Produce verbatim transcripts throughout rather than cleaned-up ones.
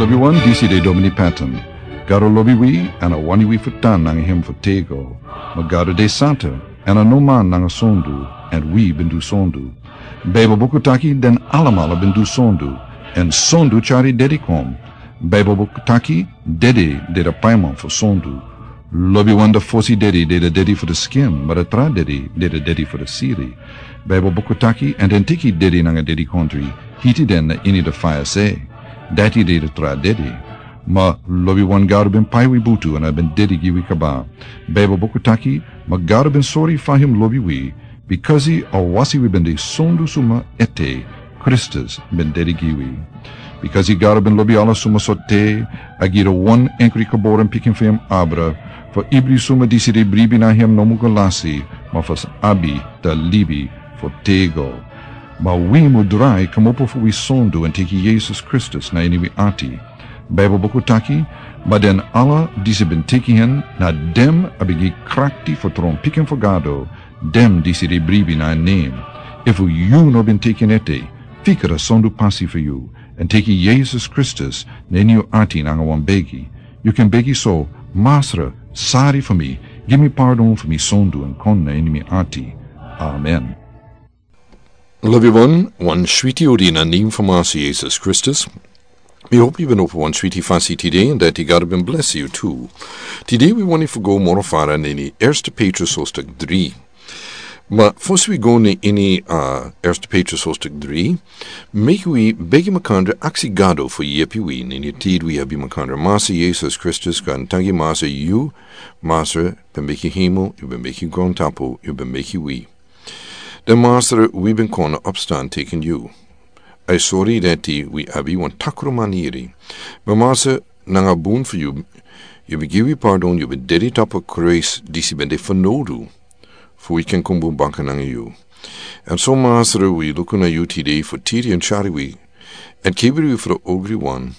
Wi wan disi de Domini Patton. Gado lobi wi, èn a wani wi fu tan nanga hem fu tego. Ma Gado de santa, èn a no man nanga sondu, èn wi ben du sondu. Baibel buku taki den alamala ben du sondu, èn sondu tyari dedi kon. Baibel buku taki dede de de paiman fu sondu. Lobi wan de fosi dedi de de dedi fu de skin, ma de tra dedi de de dedi fu de siri. Baibel buku taki èn den tiki dedi nanga dedi kontri, hiti den na ini de faya se. Dati de de tra dedi. Ma lobi wan Gado ben pai wi butu èn a ben dedi gi wi kaba. Baibel buku taki, ma Gado ben sori fa hem lobi wi, bikasi a wasi wi ben de sondu suma ete, Kristus ben dedi gi wi. Bikasi Gado ben lobi ala suma so te, a gi de wan enkri kaboren pikin fu hem abra, fu ibri suma disi de bribi na hem no mu go lasi, ma fu abi de libi fu tego. Ma wi mu drai kmopo fu wi sondu èn teki Yesus Kristus na ini wi ati. Baibel buku taki, ma den ala disi ben teki hen, na dem a ben gi krakti fu tron pikin fu Gado, dem disi de bribi na en nem. Efu yu no ben teki en ete, fika de sondu pasi fu yu, èn teki Yesus Kristus na ini yu ati nanga wan begi. Yu ken begi so, Masra, sari fu mi, gi mi pardon fu mi sondu èn kon na ini mi ati. Amen. Lobi wan, wan switi odi na nem fu Masra Yesus Kristus. Mi hopi yu ben opo wan switi fasi tide, èn dati Gado ben blesi yu tu. Tide wi wani fu go moro fara na ini Erste Petrus hoofdstuk dri. Ma fosi wi go na ini, a, Erste Petrus hoofdstuk dri, meki wi begi makandra aksi Gado fu yepi wi na ini tid wi abi makandra. Masra Yesus Kristus kan tangi Masra yu, Masra ben meki hemel, yu ben meki grontapu, yu ben meki wi. Den Masra wi ben kon na opstan teki yu. A sori dati wi abi wan takru maniri. Ma Masra nanga bun fu yu, yu ben gi wi pardon, yu ben dedi tapu kruis disi ben de fanodu. Fu wi ken kon bun baka nanga yu. Èn so Masra wi luku na yu tide fu tiri èn tyari wi. Èn kibri wi fu de ogri wan.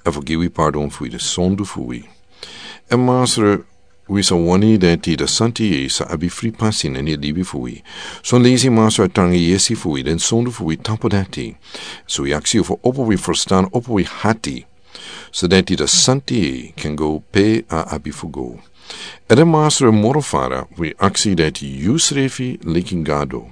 Èn fu gi wi pardon fu wi de sondu fu wi. Èn Masra wi sa wani dati de santa yeye sa abi fri pasi na ini libi fu wi. Son leisi Masra a tangi yesi fu wi den sondu fu wi tapu dati. So wi aksi yu fu opo wi ferstan opo wi hati. So dati de santa yeye ken go pe a abi fu go. Èn den Masra moro fara wi aksi dati yu srefi leki Gado.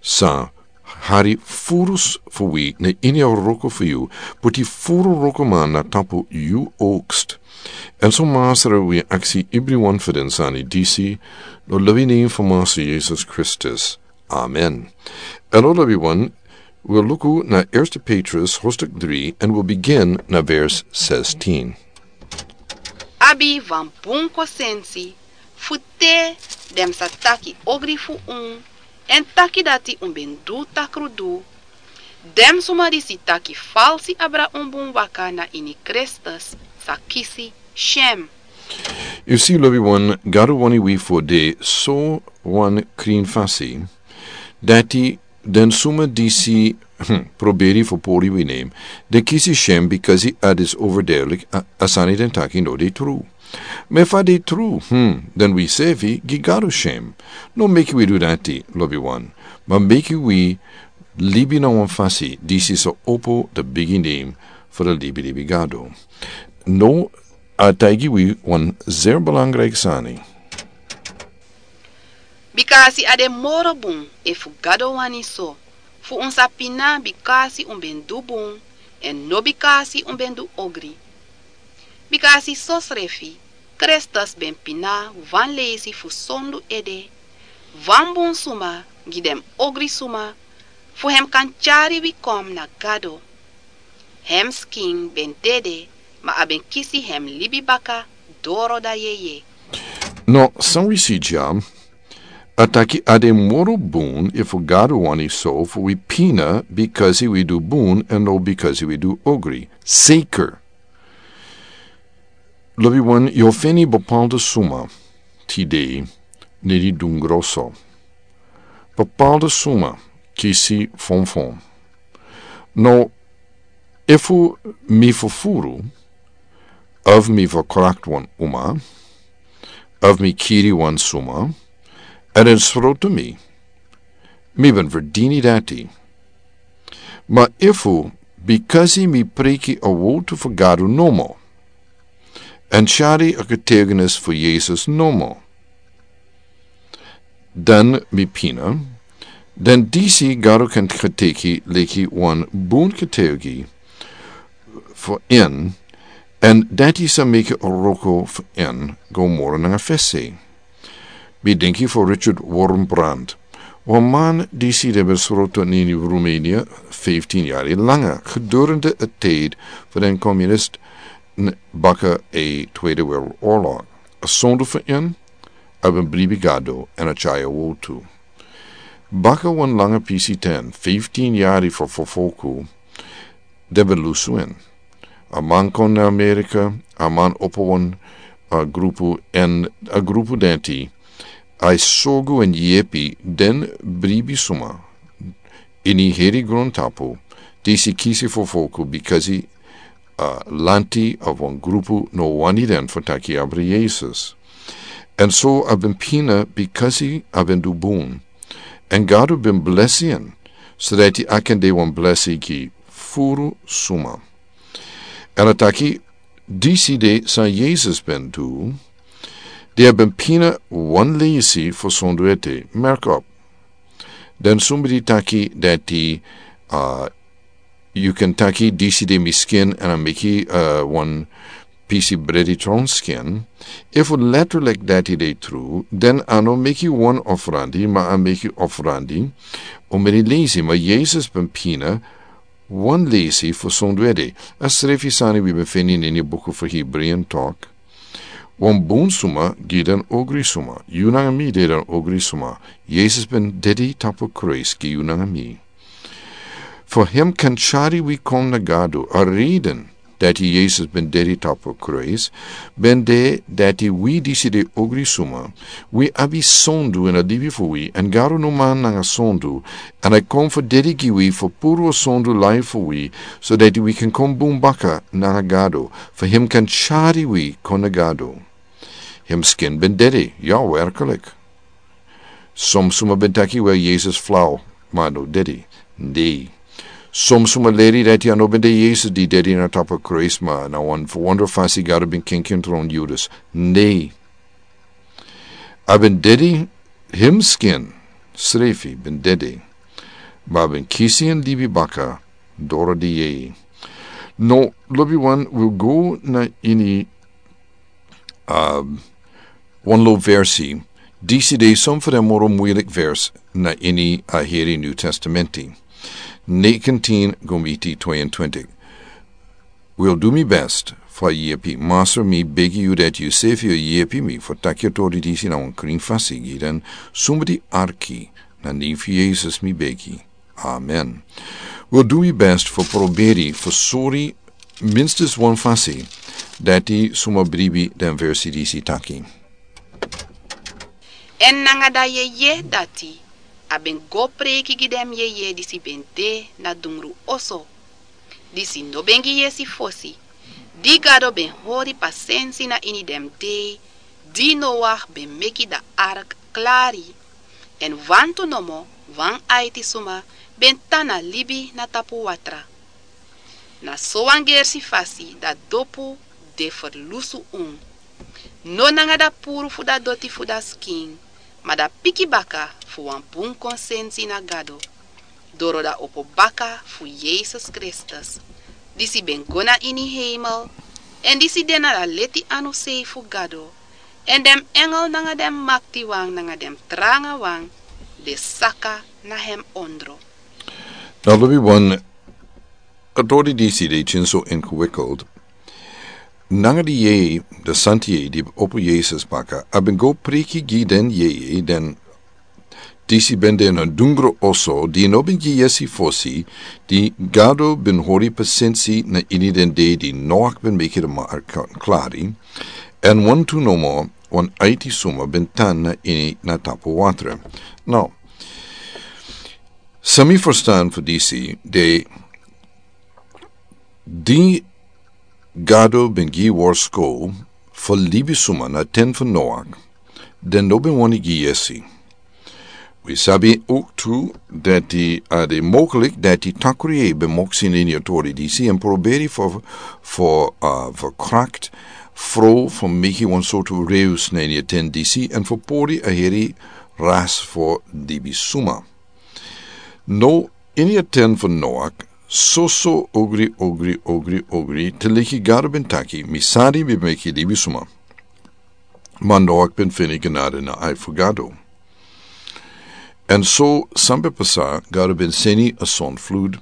Sa hari furu fu wi na ini a wroko fu yu, puti furu wrokoman na tapu yu okst. Èn so Masra wi aksi ibri wan fu den sani disi, na lobi nem fu Masra Yesus Kristus. Amen. Èn na lobi wan, wi luku na Erste Petrus hoofdstuk dri, èn wi begin na vers zestien. Abi wan bun konsensi, fu te den sa taki ogri fu un, èn taki dati un ben du takru du. Den suma disi taki falsi abra un bun waka na ini Kristus sa kisi syen. Yu si lobi wan, Gado wani wi fu de so wan krin fasi. Dati den suma disi, hmm, proberi fu pori wi nem. Den kisi syen bikasi a disi overduidelijk, a, a sani den taki no de tru. Ma efu a de tru, hmm, den wi srefi gi Gado syen. No meki wi du dati, lobi wan. Ma meki wi libi na wan fasi disi sa opo de bigi nem fu de libilibi Gado. No, a taigi wi wan zeer belangrijk sani. Bikasi a de moro bun efu Gado wani so, fu un sa pina bikasi un ben du bun, èn no bikasi un ben du ogri. Bikasi sosrefi, Kristus ben pina wan leisi fu sondu ede, wan bun suma gi den ogri suma, fu hem kan tyari wi kon na Gado. Hem skin ben dede, ma a ben kisi hem libi baka doro da yeye. No, san wi si dya, a taki a de moro bun efu Gado wani so fu wi pina bikasi wi du bun èn no bikasi wi du ogri. Zeker. Lobi wan, yu o feni bepaalde suma tide na ini dungro so. Bepaalde suma kisi fonfon. No, efu mi fufuru, of mi verkracht wan uma, of mi kiri wan suma, èn den srotu mi, mi ben verdini dati. Ma efu Bikasi mi preki a wowtu fu Gado nomo, èn shari a getuigenis fu Yesus nomo, dan mi pina, dan disi Gado kan geteki leki wan bun getuigi fu en, èn dati sa meki a wroko fu en go moro nanga fesi. Mi denki fu Richard Wurmbrand, wan man disi den ben sroto na ini Rumenia fiftin yari langa gedurende a tid fu den komunist baka a Tweede Wereldoorlog. A sondu fu en, a ben bribi Gado èn a tyai a wowtu. Baka wan langa pisi ten, fiftin yari fu fufuru, den ben lusu en. A man kon na Amerika, a man opo wan, a grupu, èn a grupu dati a e sorgu èn yepi den bribi suma ini heri grontapu disi kisi fufuru bikasi a lanti of wan grupu no wani den fu taki abra Yesus. Èn so a ben pina bikasi a ben du bun. Èn Gado ben blesi en, so dati a kan de wan blesi gi furu suma. Èn a taki disi de san Yesus ben du, di a ben pina wan leisi fu sondu ete, merk op. Dan somebody taki dati, a, yu kan taki disi de mi skin èn a meki, a, wan pisi bredi tron skin. Efu letterlik dati de tru, dan a no meki wan ofrandi, ma a meki ofrandi omeni leisi, ma Yesus ben pina wan leisi fu sondu ete. A srefi sani wi ben feni na ini buku fu Hebreeën tok. Wan bun suma gi den ogri suma. Yu nanga mi de den ogri suma. Yesus ben dedi tapu kruis gi yu nanga mi. Fu hem kan tyari wi kon na Gado, a reden dati Yesus ben dedi tapu kruis ben de dati wi disi de ogri suma, wi abi sondu ini a libi fu wi, èn Gado no man nanga sondu, èn a kon fu dedi gi wi fu puru a sondu lai fu wi, so dati wi kan kon bun baka nanga Gado, fu hem kan tyari wi kon na Gado. Hem skin ben dedi, ya, werklik. Som suma ben taki, wel, Yesus flau, ma a no dedi. Nei. Som suma leri dati a no ben de Yesus di dedi na tapu kruis, ma na wan ferwondra fasi Gado ben kenki en tron Judas. Nei. A ben dedi, hem skin srefi ben dedi, ma a ben kisi en libi baka doro di yeye. No, lobiwan, wi o go na ini, um, wan lo versi, disi de son fu den moro muilik vers na ini a heri New Testamenti. Negentien go miti tweeëntwintig. Wi o du mi best fu a yepi. Masra, mi begi yu dati yu sefi o yepi mi fu taki a tori disi na wan krin fasi gi den suma di arki. Na nen fu Yesus mi begi. Amen. Wi o du mi best fu proberi fu sori minstens wan fasi dati suma bribi den versi disi taki. Èn nanga da yeye dati a ben go preiki gi den yeye disi ben de na dungru oso, disi no ben gi yesi fosi, di Gado ben hori pasensi na ini den dei di Noach ben meki da ark klari. Èn wantu nomo wan aiti suma ben tan na libi na tapu watra. Na sowan gersi fasi da dopu de ferlusu unu. No nanga da puru fu da doti fu da skin, ma da piki baka fu wan bun konsensi na Gado, doro da opo baka fu Yesus Kristus, disi ben go na ini heimel, èn disi de na da leti anu sei fu Gado, èn den engel nanga den maktiwan nanga den trangawan de saka na hem ondro. Na lobiwan, a tori disi de tyari so ingewikkeld. Nanga di yeye, di santi yeye di opo Yesus baka, a ben go preiki gi den yeye den disi ben de na dungru oso, di no ben gi yesi fosi, di Gado ben hori pasensi na ini den dei di Noach ben meki da ark klari, èn wantu nomo wan aiti suma ben tan na ini na tapu watra. No. San mi ferstan fu disi de, di Gado ben gi worsko fu libisuma na ten fu Noach, den no ben wani gi yesi. Wi sabi ook tu dati a de mogelijk dati takuri e ben moksi na ini a tori disi en proberi for for a verkrakt fro for meki wan sortu reus na ini a ten disi en for pori a heri ras for dibi suma. No ini a ten for noak soso ogri ogri ogri ogri te liki gado ben taki mi sadi mi meki dibi suma. Ma noak ben fini genade na ai for gado. En so sampe pasa gado ben seni a son flud.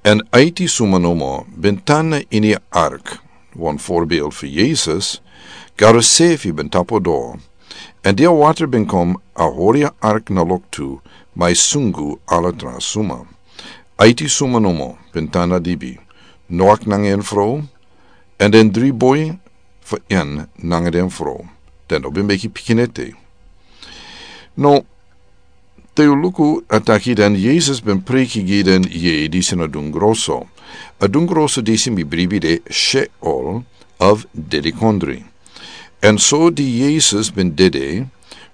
En aiti suma nomo ben tan na ini a ark wan forbeeld for yesus. Gado sefi ben tapo do. En dia water ben kom a hori a ark na loktu mai sungu ala tra suma. Aiti suma nomo ben tan na dibi noak nanga en fro. En den dri boi for en nanga den fro. Den no ben meki pikinete. No te yu luku a taki dan yesus ben preki gi den yei disi na dungroso. A dungroso disi mi bribi de sheol of dedikondri. En so di yesus ben dede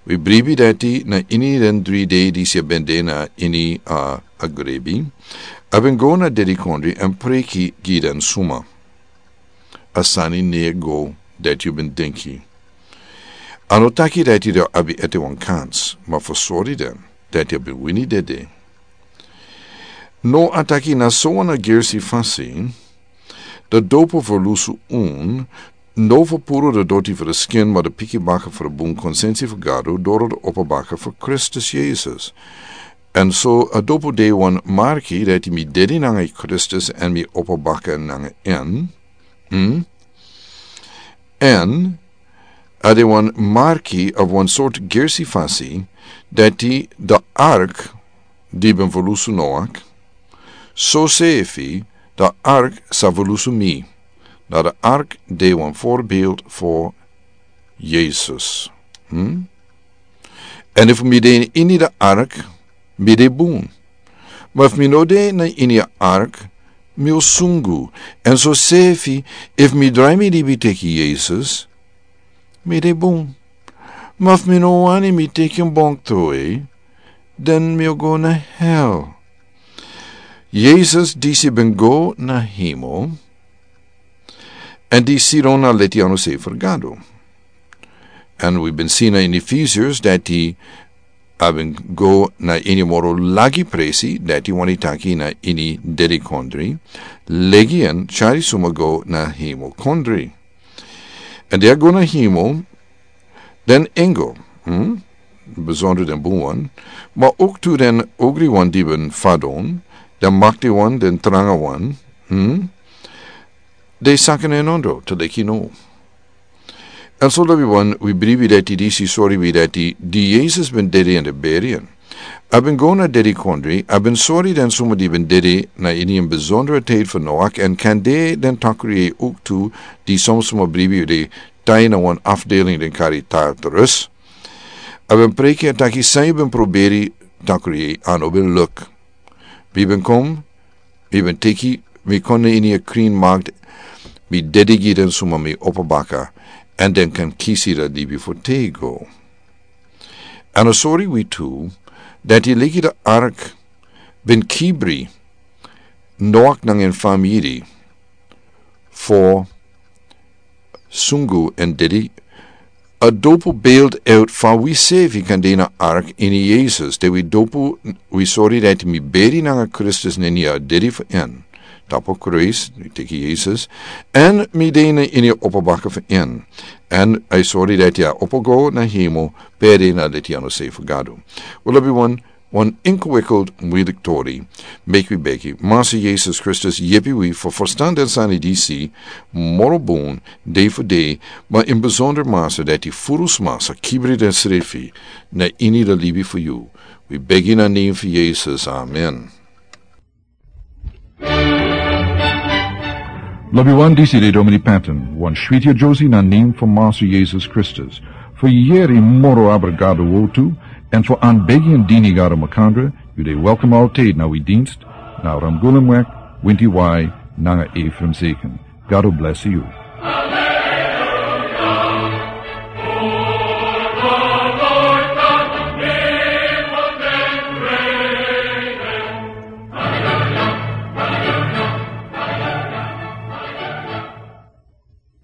wi bribi dati na ini den dri dei disi a ben de na ini a agrebi. A ben go na dedikondri en preki gi den suma. A sani ne go dati yu ben denki. A no taki dati de abi ete wan kans ma fosori den dati a ben wini dede. No a taki na so wan a gersi fasi. Da dopo fu lusu un no fu puru da doti fu da skin ma da piki baka fu da bun konsensi fu gado doro da opo baka fu kristus yesus. En so a dopo de wan marki dati mi dedi nanga kristus en mi opo baka nanga en. En a de wan marki of wan sort gersi fasi dati da ark di ben volusu noak. So sefi da ark sa volusu mi. Na da ark de wan forbeeld for yesus. En efu mi de ini da ark mi de bun. Ma efu mi no de na ini a ark mi o sungu. En so sefi efu mi drai mi dibi teki yesus mi de bun. Ma fu mi no wani mi teki en bonk troi den mi o go na hel. Yesus disi ben go na hemel. En disi don na leti anu sei fergado. En wi ben si na in efesius dati a ben go na ini moro lagi presi dati wani taki na ini dedi kondri. Legi en chari suma go na hemel kondri. En dia go na himo den engo. Besondro den buwan ma oktu den ogri wan diben fadon den makti wan den tranga wan. De saken en ondo te leki no. En so lobi wan wi bribi dati disi sori wi dati di yesus ben dedi en de beri en. A ben go na dedi kondri a ben sori den suma di ben dedi na ini en besondere ted fu noak en kande den takri e uktu di somsuma bribi de tai na wan afdeling den kari tartarus. A ben preki a taki san yu ben proberi takri e an o ben luk. Mi ben kom mi ben teki mi kon na ini a krin makt. Mi dedi gi den suma mi opo baka an den kan kisi da dibi fu tego. An a sori wi tu dati leki da ark ben kibri noak nanga en famiri. Fo sungu en dedi a dopu beld out fa wi sefi kan de na ark ini yesus de wi dopu wi sori dati mi beri nanga kristus neni a dedi fu en. Tapu kruis mi teki yesus an mi de na ini a opo baka fu en. An a sori dati a opo go na himo peri na deti ano sei fu gadu. Wi lobi wan wan inkwikeld muilik tori. Meki wi beki masi yesus kristus yepi wi fu fustan den sani disi moro bun de fu de. Ma in besonder masi dati furus masi kibri den srefi na ini da libi fu yu. Wi begi na nen fu yesus amen. Lobi wan disi de domini panton wan shwiti a josi na nen fu masi yesus kristus. Fu yeri moro abrigado wotu en fu an begi en dini gado makandra. Yu de welkom alteid na wi dinst na ramgulum wek winti wai nanga efrem seken. Gado blesi yu.